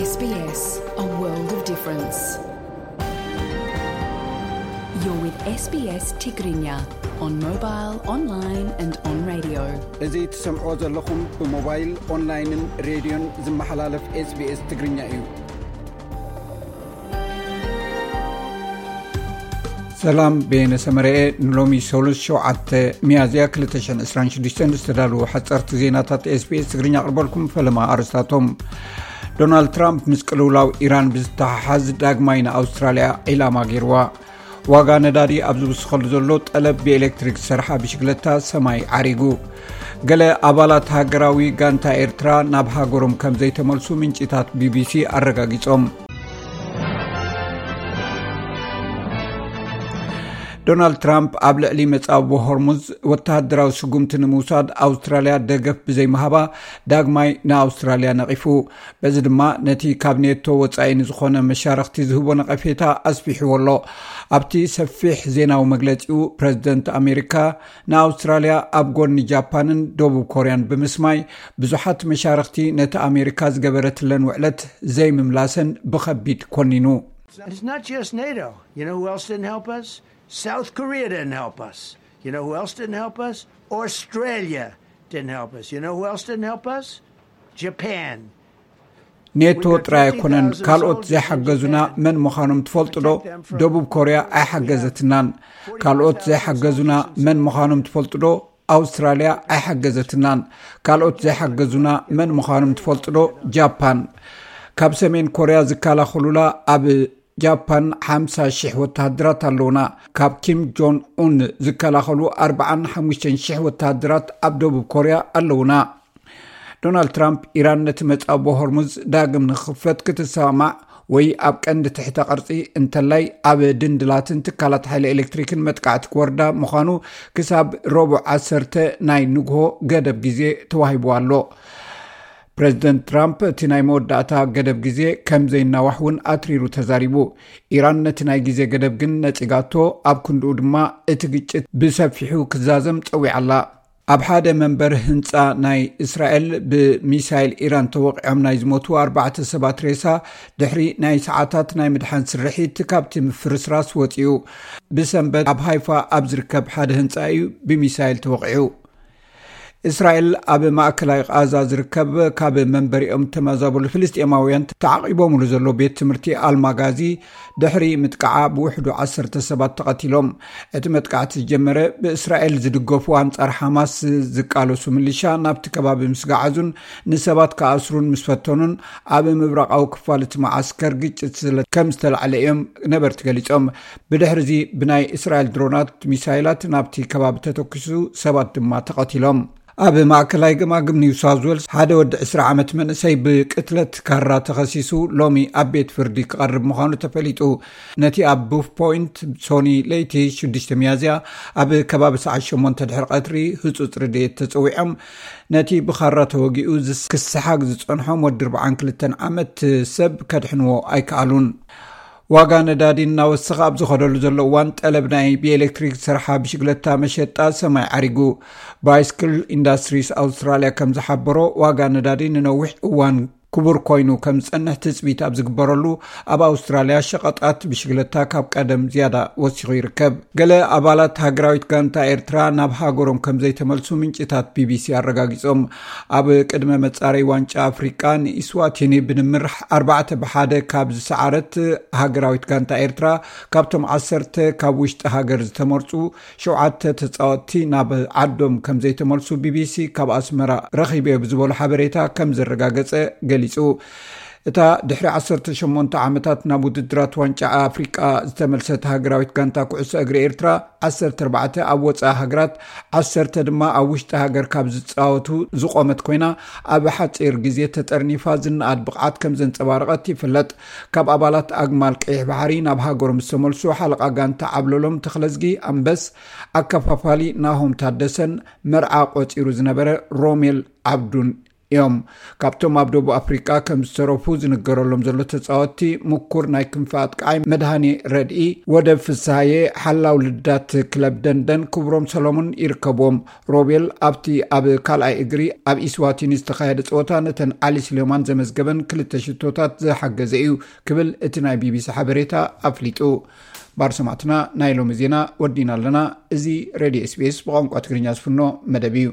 S B S, a world of difference. You're with S B S Tigrinya on mobile, online and on radio. እዚ ትሰምዕዎ ዘለኹም ብሞባይል፣ ኦንላይንን ሬድዮን ዝመሓላለፍ SBS ትግርኛ እዩ። ሰላም፣ ቤነ ሰመረኤ። ንሎሚ ሰሉስ ሸውዓተ ሚያዝያ ክልተ ሽሕን ዕስራን ሽዱሽተን ዝተዳለዉ ሓጸርቲ ዜናታት SBS ትግርኛ ኣቕርበልኩም። ፈለማ ኣርስታቶም። ዶናልድ ትራምፕ ምስ ቅልውላው ኢራን ብዝተሓሓዝ ዳግማይ ንኣውስትራልያ ዒላማ ገይርዋ። ዋጋ ነዳዲ ኣብ ዝውስኸሉ ዘሎ ጠለብ ብኤሌክትሪክ ዝሰርሓ ብሽግለታ ሰማይ ዓሪጉ። ገለ ኣባላት ሃገራዊ ጋንታ ኤርትራ ናብ ሃገሮም ከም ዘይተመልሱ ምንጭታት ቢቢሲ ኣረጋጊጾም። ዶናልድ ትራምፕ ኣብ ልዕሊ መጻብቦ ሆርሙዝ ወተሃደራዊ ስጉምቲ ንምውሳድ ኣውስትራልያ ደገፍ ብዘይምሃባ ዳግማይ ንኣውስትራልያ ነቒፉ። በዚ ድማ ነቲ ካብ ኔቶ ወጻኢ ንዝኾነ መሻርኽቲ ዝህቦ ነቐፌታ ኣስፊሕዎ ኣሎ። ኣብቲ ሰፊሕ ዜናዊ መግለጺኡ፣ ፕረዚደንት ኣሜሪካ ንኣውስትራልያ ኣብ ጎኒ ጃፓንን ደቡብ ኮርያን ብምስማይ፣ ብዙሓት መሻርኽቲ ነቲ ኣሜሪካ ዝገበረትለን ውዕለት ዘይምምላሰን ብኸቢድ ኮኒኑ። It's not just NATO. You know who else didn't help us? South Korea didn't help us. You know who else didn't help us? Australia didn't help us. You know who else didn't help us? Japan. ኔቶ ጥራይ ኣይኮነን ካልኦት ዘይሓገዙና መን ምዃኖም ትፈልጡ ዶ? ደቡብ ኮርያ ኣይሓገዘትናን። ካልኦት ዘይሓገዙና መን ምዃኖም ትፈልጡ ዶ? ኣውስትራልያ ኣይሓገዘትናን። ካልኦት ዘይሓገዙና መን ምዃኖም ትፈልጡ ዶ? ጃፓን። ካብ ሰሜን ኮርያ ዝከላኸሉላ ኣብ ጃፓን ሓምሳ ሽሕ ወተሃደራት ኣለውና። ካብ ኪም ጆን ኡን ዝከላኸሉ ኣርባዓን ሓሙሽተን ሽሕ ወተሃደራት ኣብ ደቡብ ኮርያ ኣለውና። ዶናልድ ትራምፕ፣ ኢራን ነቲ መጻቦ ሆርሙዝ ዳግም ንኽኽፈት ክትሰማማዕ ወይ ኣብ ቀንዲ ትሕተ ቅርጺ እንተላይ ኣብ ድንድላትን ትካላት ሓይሊ ኤሌክትሪክን መጥቃዕቲ ክወርዳ ምዃኑ ክሳብ ረቡዕ ዓሰርተ ናይ ንግሆ ገደብ ግዜ ተዋሂቡ ኣሎ። ፕረዚደንት ትራምፕ እቲ ናይ መወዳእታ ገደብ ግዜ ከም ዘይናዋሕ እውን ኣትሪሩ ተዛሪቡ። ኢራን ነቲ ናይ ግዜ ገደብ ግን ነጺጋቶ፣ ኣብ ክንድኡ ድማ እቲ ግጭት ብሰፊሑ ክዛዘም ጸዊዓ ኣላ። ኣብ ሓደ መንበሪ ህንጻ ናይ እስራኤል ብሚሳይል ኢራን ተወቒዖም ናይ ዝሞቱ ኣርባዕተ ሰባት ሬሳ ድሕሪ ናይ ሰዓታት ናይ ምድሓን ስርሒት ካብቲ ምፍርስራስ ወጺኡ። ብሰንበት ኣብ ሃይፋ ኣብ ዝርከብ ሓደ ህንጻ እዩ ብሚሳይል ተወቒዑ። እስራኤል ኣብ ማእከላይ ቃዛ ዝርከብ ካብ መንበሪኦም ተመዛበሉ ፍልስጤማውያን ተዓቒቦምሉ ዘሎ ቤት ትምህርቲ ኣልማጋዚ ድሕሪ ምጥቃዓ ብውሕዱ ዓሰርተ ሰባት ተቐቲሎም። እቲ መጥቃዕቲ ዝጀመረ ብእስራኤል ዝድገፉ ኣንጻር ሓማስ ዝቃለሱ ምልሻ ናብቲ ከባቢ ምስ ገዓዙን ንሰባት ክኣስሩን ምስ ፈተኑን ኣብ ምብራቓዊ ክፋል እቲ መዓስከር ግጭት ስለ ከም ዝተላዕለ እዮም ነበርቲ ገሊጾም። ብድሕሪ እዚ ብናይ እስራኤል ድሮናት ሚሳይላት ናብቲ ከባቢ ተተኩሱ ሰባት ድማ ተቐቲሎም። ኣብ ማእከላይ ገማግም ኒው ሳውዝ ዌልስ ሓደ ወዲ ዕስራ ዓመት መንእሰይ ብቅትለት ካራ ተኸሲሱ ሎሚ ኣብ ቤት ፍርዲ ክቐርብ ምዃኑ ተፈሊጡ። ነቲ ኣብ ቡፍ ፖይንት ሶኒ ለይቲ ሽዱሽተ ሚያዝያ ኣብ ከባቢ ሰዓት ሸሞንተ ድሕሪ ቀትሪ ህጹጽ ረድኤት ተጸዊዖም ነቲ ብኻራ ተወጊኡ ዝስ-፣ ክሰሓግ ዝጸንሖም ወዲ ኣርባዓን ክልተን ዓመት ሰብ ከድሕንዎ ኣይከኣሉን። ዋጋ ነዳዲ እናወሰኸ ኣብ ዝኸደሉ ዘሎ እዋን፣ ጠለብ ናይ ብኤሌክትሪክ ዝሰርሓ ብሽግለታ መሸጣ ሰማይ ዓሪጉ። ባይስክል ኢንዳስትሪስ ኣውስትራልያ ከም ዝሓበሮ፣ ዋጋ ነዳዲ ንነዊሕ እዋን ክቡር ኮይኑ ከም ዝጸንሕ ትጽቢት ኣብ ዝግበረሉ፣ ኣብ ኣውስትራልያ ሸቐጣት ብሽግለታ ካብ ቀደም ዝያዳ ወሲኹ ይርከብ። ገለ ኣባላት ሃገራዊት ጋንታ ኤርትራ ናብ ሃገሮም ከም ዘይተመልሱ ምንጭታት ቢቢሲ ኣረጋጊጾም። ኣብ ቅድመ መጻረይ ዋንጫ ኣፍሪቃ ንኢስዋቲኒ ብድምር ኣርባዕተ ብሓደ ካብ ዝሰዓረት ሃገራዊት ጋንታ ኤርትራ፣ ካብቶም ዓሰርተ ካብ ውሽጢ ሃገር ዝተመርጹ ሸውዓተ ተጻወትቲ ናብ ዓዶም ከም ዘይተመልሱ ቢቢሲ ካብ ኣስመራ ረኺበዮ ብዝበሎ ሓበሬታ ከም ዘረጋገጸ ገሊጹ። እታ ድሕሪ ዓሰርተ ሸሞንተ ዓመታት ናብ ውድድራት ዋንጫ ኣፍሪቃ ዝተመልሰት ሃገራዊት ጋንታ ኩዕሶ እግሪ ኤርትራ፣ ዓሰርተ ኣርባዕተ ኣብ ወጻኢ ሃገራት፣ ዓሰርተ ድማ ኣብ ውሽጢ ሃገር ካብ ዝጻወቱ ዝቖመት ኮይና፣ ኣብ ሓጺር ግዜ ተጠርኒፋ ዝነኣድ ብቕዓት ከም ዘንጸባረቐት ይፍለጥ። ካብ ኣባላት ኣግማል ቀይሕ ባሕሪ ናብ ሃገሮም ዝተመልሱ ሓለቓ ጋንታ ዓብለሎም ተኽለዝጊ ኣንበስ፣ ኣከፋፋሊ ናሆም ታደሰን መርዓ ቆጺሩ ዝነበረ ሮሜል ዓብዱን እዮም። ካብቶም ኣብ ደቡብ ኣፍሪቃ ከም ዝተረፉ ዝንገረሎም ዘሎ ተጻወትቲ፣ ምኩር ናይ ክንፊ ኣጥቃዓይ መድሃኔ ረድኢ፣ ወደብ ፍስሃየ፣ ሓላው ልዳት ክለብ ደንደን ክብሮም ሰሎሞን ይርከብዎም። ሮቤል ኣብቲ ኣብ ካልኣይ እግሪ ኣብ ኢስዋቲኒ ዝተኻየደ ጸወታ ነተን ዓሊ ስሌማን ዘመዝገበን ክልተ ሽቶታት ዝሓገዘ እዩ ክብል እቲ ናይ ቢቢሲ ሓበሬታ ኣፍሊጡ። ባር ሰማዕትና፣ ናይ ሎሚ ዜና ወዲና ኣለና። እዚ ሬድዮ ኤስቢኤስ ብቋንቋ ትግርኛ ዝፍኖ መደብ እዩ።